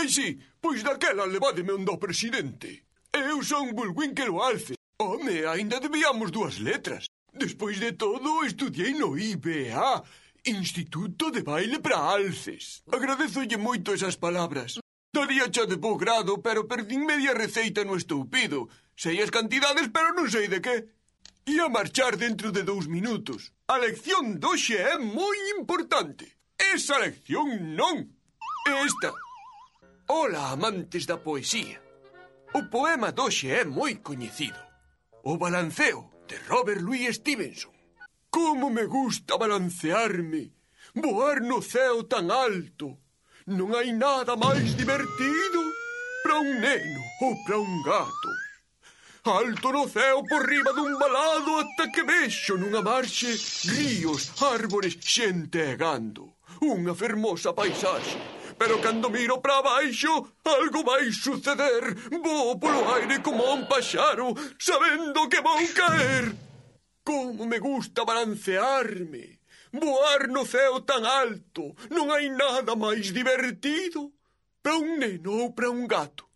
Ai, sí, pois daquela levádeme onde ao presidente. Eu son Bullwinkle o Alce. Home, aínda debíamos 2 letras. Despois de todo, estudiei no IBA, Instituto de Baile para Alces. Agradézolle moito esas palabras. Daría xa de bo grado, pero perdín media receita no estoupido. Sei as cantidades, pero non sei de que. Ia marchar dentro de 2 minutos. A lección doxe é moi importante. Esa lección non. Esta. Ola, amantes da poesía. O poema doxe é moi coñecido. O balanceo, de Robert Louis Stevenson. Como me gusta balancearme, voar no ceo tan alto. Non hai nada máis divertido para un neno ou para un gato. Alto no ceo por riba dun valado ata que vexo nunha marxe ríos, árbores, xente e gando. Unha fermosa paisaxe. Pero cando miro para baixo, algo vai suceder. Vou polo aire como un paxaro, sabendo que vou caer. Como me gusta balancearme, voar no ceo tan alto. Non hai nada máis divertido para un neno ou para un gato.